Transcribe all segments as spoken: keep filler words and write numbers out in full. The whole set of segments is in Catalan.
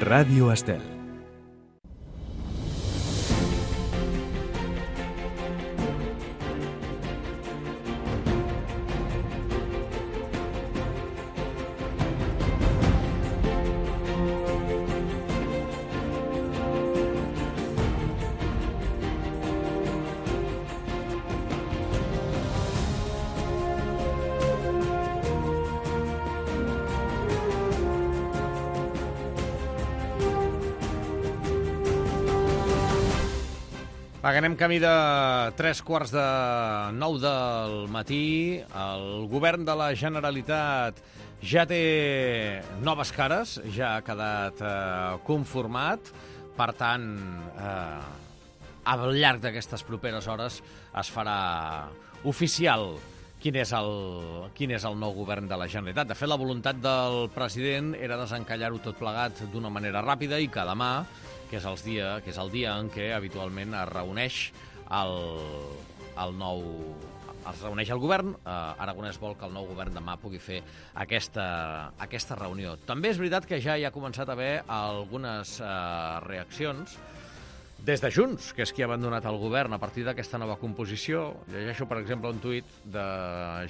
Ràdio Estel. Va, que anem camí de tres quarts de nou del matí. El govern de la Generalitat ja té noves cares, ja ha quedat eh, conformat. Per tant, eh, al llarg d'aquestes properes hores es farà oficial quin és, el, quin és el nou govern de la Generalitat. De fet, la voluntat del president era desencallar-ho tot plegat d'una manera ràpida i que demà, que és, els dia, que és el dia en què habitualment es reuneix el, el nou... es reuneix el govern. eh, Aragonès vol que el nou govern demà pugui fer aquesta, aquesta reunió. També és veritat que ja hi ha començat a haver algunes eh, reaccions des de Junts, que és qui ha abandonat el govern a partir d'aquesta nova composició. Llegeixo, per exemple, un tuit de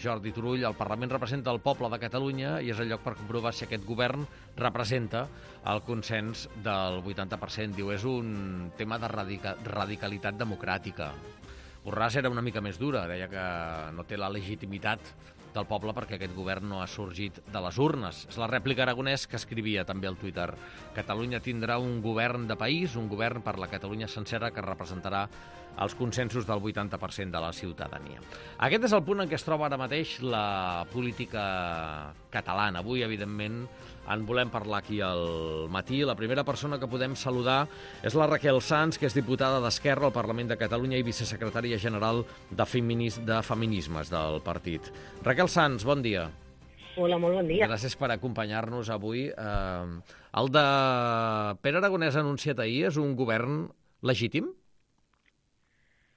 Jordi Turull: el Parlament representa el poble de Catalunya i és el lloc per comprovar si aquest govern representa el consens del vuitanta per cent. Diu, és un tema de radica radicalitat democràtica. Borràs era una mica més dura, deia que no té la legitimitat del poble perquè aquest govern no ha sorgit de les urnes. És la rèplica Aragonès que escrivia també al Twitter: Catalunya tindrà un govern de país, un govern per la Catalunya sencera que representarà els consensos del vuitanta per cent de la ciutadania. Aquest és el punt en què es troba ara mateix la política catalana. Avui, evidentment, en volem parlar aquí al matí. La primera persona que podem saludar és la Raquel Sans, que és diputada d'Esquerra al Parlament de Catalunya i vicesecretària general de, Feminis, de Feminismes del partit. Raquel Sans, bon dia. Hola, molt bon dia. Gràcies per acompanyar-nos avui. Eh, el de Pere Aragonès anunciat ahir és un govern legítim?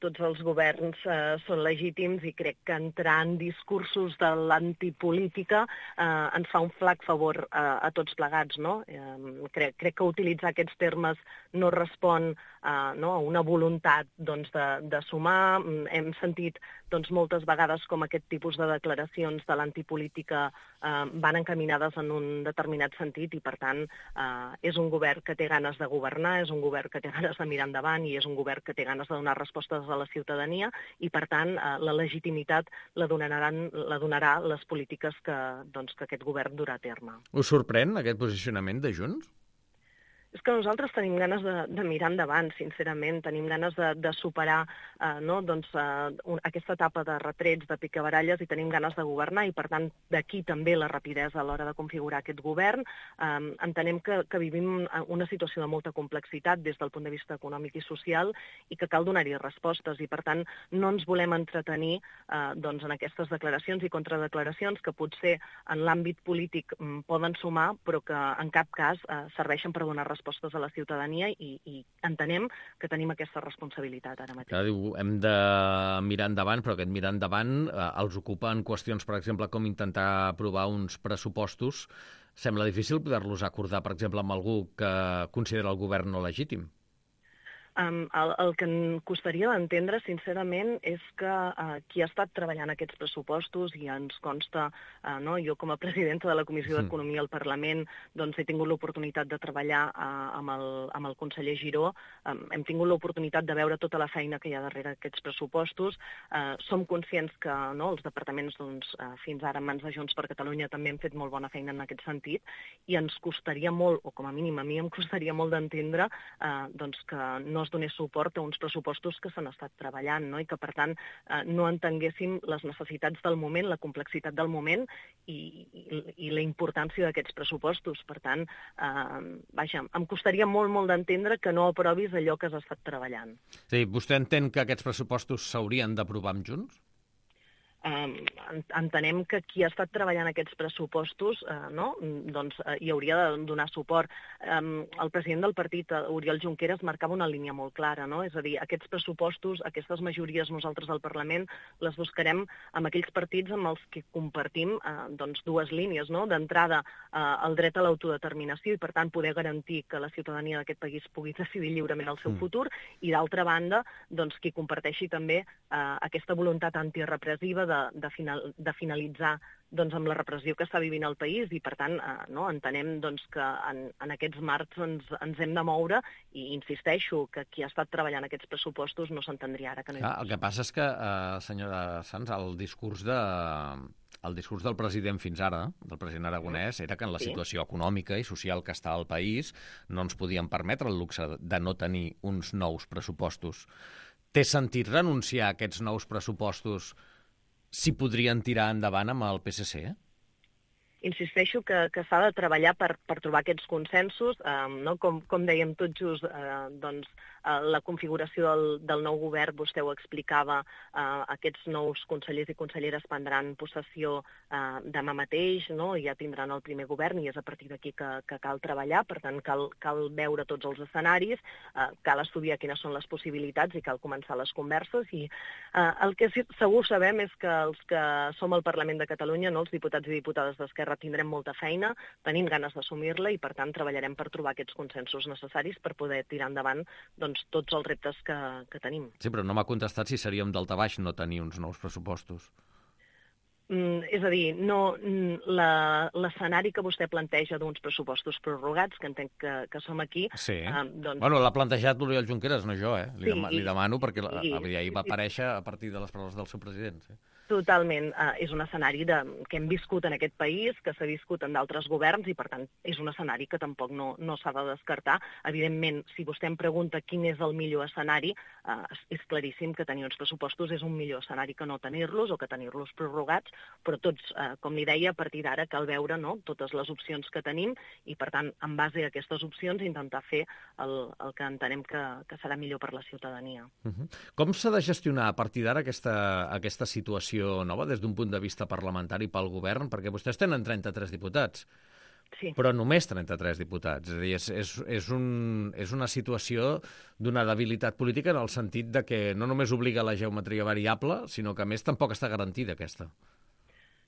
Tots els governs eh, són legítims i crec que entrar en discursos de l'antipolítica eh, ens fa un flac favor eh, a tots plegats, no? Eh, crec, crec que utilitzar aquests termes no respon eh, no, a una voluntat doncs, de, de sumar. Hem sentit doncs, moltes vegades com aquest tipus de declaracions de l'antipolítica eh, van encaminades en un determinat sentit i, per tant, eh, és un govern que té ganes de governar, és un govern que té ganes de mirar endavant i és un govern que té ganes de donar respostes a la ciutadania i, per tant, eh, la legitimitat la donaran, la donarà les polítiques que, doncs, que aquest govern durà a terme. Us sorprèn aquest posicionament de Junts? És que nosaltres tenim ganes de, de mirar endavant, sincerament, tenim ganes de, de superar eh, no, doncs, eh, un, aquesta etapa de retrets, de picabaralles, i tenim ganes de governar, i per tant d'aquí també la rapidesa a l'hora de configurar aquest govern. Eh, entenem que, que vivim una situació de molta complexitat des del punt de vista econòmic i social i que cal donar-hi respostes, i per tant no ens volem entretenir eh, doncs, en aquestes declaracions i contradeclaracions que potser en l'àmbit polític mm, poden sumar, però que en cap cas eh, serveixen per donar respostes respostes a la ciutadania i, i entenem que tenim aquesta responsabilitat ara mateix. Clar, diu, hem de mirar endavant, però aquest mirar endavant eh, els ocupa en qüestions, per exemple, com intentar aprovar uns pressupostos. Sembla difícil poder-los acordar, per exemple, amb algú que considera el govern no legítim. Um, el, el que em costaria d'entendre, sincerament, és que uh, qui ha estat treballant aquests pressupostos, i ens consta, uh, no, jo com a presidenta de la Comissió d'Economia al Parlament, doncs he tingut l'oportunitat de treballar uh, amb, el, amb el conseller Giró, um, hem tingut l'oportunitat de veure tota la feina que hi ha darrere aquests pressupostos. Uh, som conscients que no, els departaments doncs, uh, fins ara en mans de Junts per Catalunya també han fet molt bona feina en aquest sentit, i ens costaria molt, o com a mínim a mi em costaria molt d'entendre uh, doncs que no es donés suport a uns pressupostos que s'han estat treballant, no? I que, per tant, eh, no entenguéssim les necessitats del moment, la complexitat del moment i, i, i la importància d'aquests pressupostos. Per tant, eh, vaja, em costaria molt, molt d'entendre que no aprovis allò que has estat treballant. Sí, vostè entén que aquests pressupostos s'haurien d'aprovar amb Junts? eh, entenem que qui ha estat treballant aquests pressupostos eh, no? doncs, eh, hi hauria de donar suport. Eh, el president del partit, Oriol Junqueras, marcava una línia molt clara, no? És a dir, aquests pressupostos, aquestes majories nosaltres al Parlament les buscarem amb aquells partits amb els que compartim eh, doncs, dues línies, no? D'entrada, eh, el dret a l'autodeterminació i, per tant, poder garantir que la ciutadania d'aquest país pugui decidir lliurement el seu mm. futur, i d'altra banda, doncs, qui comparteixi també eh, aquesta voluntat antirepressiva de De, final, de finalitzar doncs, amb la repressió que està vivint el país i, per tant, eh, no, entenem doncs, que en, en aquests marcs ens, ens hem de moure i insisteixo que qui ha estat treballant aquests pressupostos no s'entendria ara que no hi ah, El que passa és que, eh, senyora Sans, el discurs de... El discurs del president fins ara, del president aragonès, era que en la sí. situació econòmica i social que està al país no ens podíem permetre el luxe de no tenir uns nous pressupostos. Té sentit renunciar a aquests nous pressupostos si podrien tirar endavant amb el P S C? Insisteixo que, que s'ha de treballar per, per trobar aquests consensos. Eh, no? com, com dèiem tot just, eh, doncs, eh, la configuració del, del nou govern, vostè ho explicava, eh, aquests nous consellers i conselleres prendran possessió eh, demà mateix, no? Ja tindran el primer govern i és a partir d'aquí que, que cal treballar, per tant cal, cal veure tots els escenaris, eh, cal estudiar quines són les possibilitats i cal començar les converses. I eh, el que segur sabem és que els que som al Parlament de Catalunya, no? Els diputats i diputades d'Esquerra, tindrem molta feina, tenim ganes d'assumir-la i, per tant, treballarem per trobar aquests consensos necessaris per poder tirar endavant doncs, tots els reptes que, que tenim. Sí, però no m'ha contestat si seríem daltabaix no tenir uns nous pressupostos. Mm, és a dir, no, l'escenari que vostè planteja d'uns pressupostos prorrogats, que entenc que, que som aquí... Sí, eh, doncs... bueno, l'ha plantejat l'Oriol Junqueras, no jo, eh? Li, sí, dem li demano perquè i, ahir va aparèixer a partir de les paraules del seu president. Sí. Totalment. Uh, és un escenari de, que hem viscut en aquest país, que s'ha viscut en d'altres governs i, per tant, és un escenari que tampoc no, no s'ha de descartar. Evidentment, si vostè em pregunta quin és el millor escenari, uh, és claríssim que tenir uns pressupostos és un millor escenari que no tenir-los o que tenir-los prorrogats, però tots, uh, com li deia, a partir d'ara cal veure, no?, totes les opcions que tenim i, per tant, en base a aquestes opcions, intentar fer el, el que entenem que, que serà millor per la ciutadania. Uh-huh. Com s'ha de gestionar a partir d'ara aquesta, aquesta situació nova des d'un punt de vista parlamentari pel govern? Perquè vostès tenen trenta-tres diputats, sí. però només trenta-tres diputats. És a dir, és, és, és, un, és una situació d'una debilitat política en el sentit de que no només obliga la geometria variable, sinó que a més tampoc està garantida aquesta.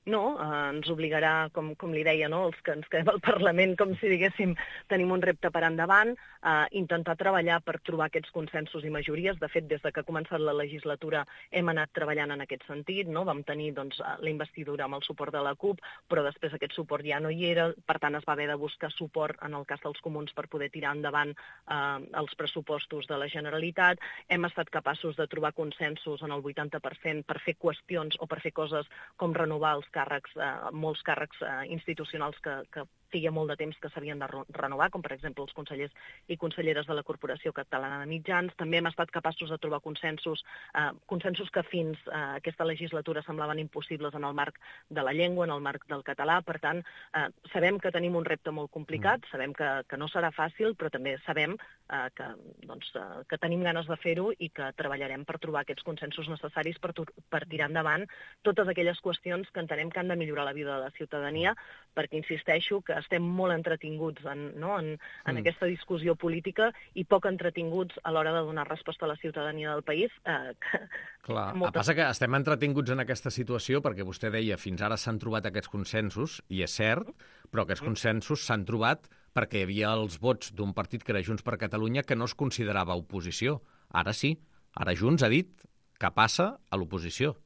No, eh, ens obligarà, com, com li deia, no, els que ens quedem al Parlament, com si diguéssim, tenim un repte per endavant, eh, intentar treballar per trobar aquests consensos i majories. De fet, des de que ha començat la legislatura hem anat treballant en aquest sentit, no? Vam tenir doncs, la investidura amb el suport de la CUP, però després aquest suport ja no hi era, per tant es va haver de buscar suport en el cas dels comuns per poder tirar endavant eh, els pressupostos de la Generalitat. Hem estat capaços de trobar consensos en el vuitanta per cent per fer qüestions o per fer coses com renovar els càrrecs, eh, molts càrrecs eh, institucionals que, que feia molt de temps que s'havien de renovar, com per exemple els consellers i conselleres de la Corporació Catalana de Mitjans. També hem estat capaços de trobar consensos, eh, consensos que fins a eh, aquesta legislatura semblaven impossibles en el marc de la llengua, en el marc del català. Per tant, eh, sabem que tenim un repte molt complicat, mm. sabem que, que no serà fàcil, però també sabem eh, que, doncs, eh, que tenim ganes de fer-ho i que treballarem per trobar aquests consensos necessaris per, per tirar endavant totes aquelles qüestions que entenem que han de millorar la vida de la ciutadania, perquè insisteixo que estem molt entretinguts en, no, en, en mm. aquesta discussió política i poc entretinguts a l'hora de donar resposta a la ciutadania del país. Eh, que, Clar, molta... passa que estem entretinguts en aquesta situació perquè vostè deia fins ara s'han trobat aquests consensos, i és cert, però aquests consensos s'han trobat perquè hi havia els vots d'un partit que era Junts per Catalunya que no es considerava oposició. Ara sí, ara Junts ha dit que passa a l'oposició.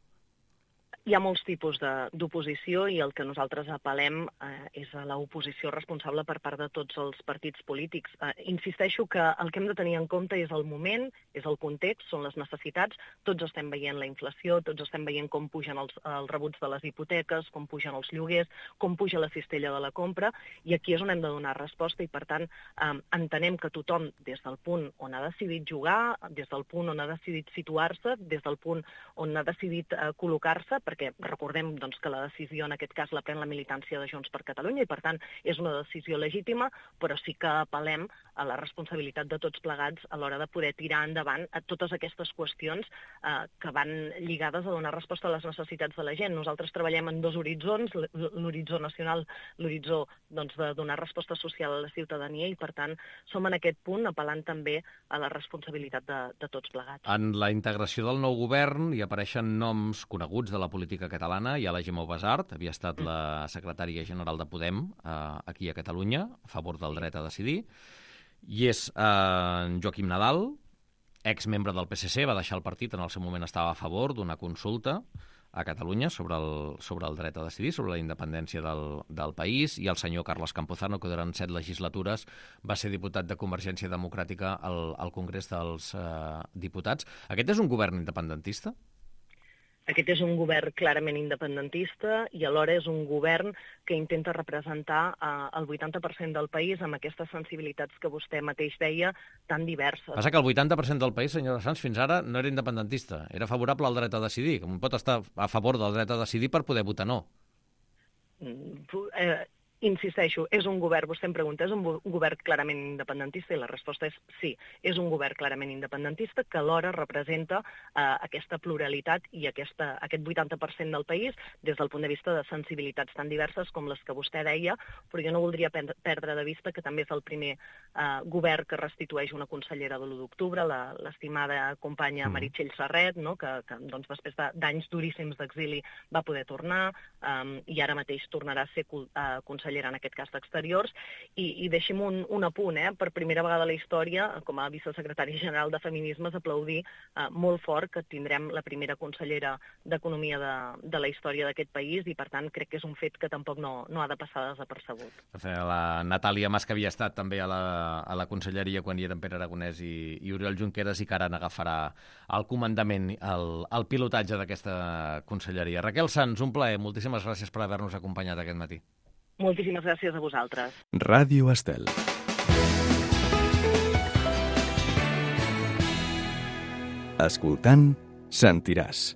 Hi ha molts tipus d'oposició i el que nosaltres apel·lem eh, és a l'oposició responsable per part de tots els partits polítics. Eh, insisteixo que el que hem de tenir en compte és el moment, és el context, són les necessitats. Tots estem veient la inflació, tots estem veient com pugen els, els rebuts de les hipoteques, com pugen els lloguers, com puja la cistella de la compra, i aquí és on hem de donar resposta i, per tant, eh, entenem que tothom, des del punt on ha decidit jugar, des del punt on ha decidit situar-se, des del punt on ha decidit eh, col·locar-se, perquè recordem doncs, que la decisió en aquest cas la pren la militància de Junts per Catalunya i, per tant, és una decisió legítima, però sí que apel·lem a la responsabilitat de tots plegats a l'hora de poder tirar endavant a totes aquestes qüestions eh, que van lligades a donar resposta a les necessitats de la gent. Nosaltres treballem en dos horitzons, l'horitzó nacional, l'horitzó doncs, de donar resposta social a la ciutadania i, per tant, som en aquest punt apel·lant també a la responsabilitat de, de tots plegats. En la integració del nou govern hi apareixen noms coneguts de la política catalana. Hi ha la Gemma Ubasart, havia estat la secretària general de Podem eh, aquí a Catalunya, a favor del dret a decidir. I és eh, Joaquim Nadal, exmembre del P S C, va deixar el partit, en el seu moment estava a favor d'una consulta a Catalunya sobre el, sobre el dret a decidir, sobre la independència del, del país, i el senyor Carles Campuzano, que durant set legislatures va ser diputat de Convergència Democràtica al, al Congrés dels eh, Diputats. Aquest és un govern independentista? Aquest és un govern clarament independentista i alhora és un govern que intenta representar eh, el vuitanta per cent del país amb aquestes sensibilitats que vostè mateix deia, tan diverses. Passa que el vuitanta per cent del país, senyora Sans, fins ara no era independentista, era favorable al dret a decidir. Com pot estar a favor del dret a decidir per poder votar no? Mm, eh, insisteixo, és un govern, vostè em pregunta, és un govern clarament independentista? I la resposta és sí, és un govern clarament independentista que alhora representa eh, aquesta pluralitat i aquesta, aquest vuitanta per cent del país des del punt de vista de sensibilitats tan diverses com les que vostè deia, però jo no voldria perdre de vista que també és el primer eh, govern que restitueix una consellera de l'u d'octubre, l'estimada companya Meritxell Serret, no? que, que doncs, després d'anys duríssims d'exili va poder tornar eh, i ara mateix tornarà a ser eh, consellera en aquest cas d'Exteriors, i, i deixi'm un, un apunt, eh? per primera vegada a la història, com a vicesecretari general de Feminismes, aplaudir eh, molt fort que tindrem la primera consellera d'Economia de, de la història d'aquest país, i per tant crec que és un fet que tampoc no, no ha de passar desapercebut. La Natàlia Mas, que havia estat també a la, a la conselleria quan hi eren Pere Aragonès i, i Oriol Junqueras, i que ara n'agafarà el comandament, el, el pilotatge d'aquesta conselleria. Raquel Sans, un plaer, moltíssimes gràcies per haver-nos acompanyat aquest matí. Moltíssimes gràcies a vosaltres. Ràdio Estel. Escoltant, sentiràs.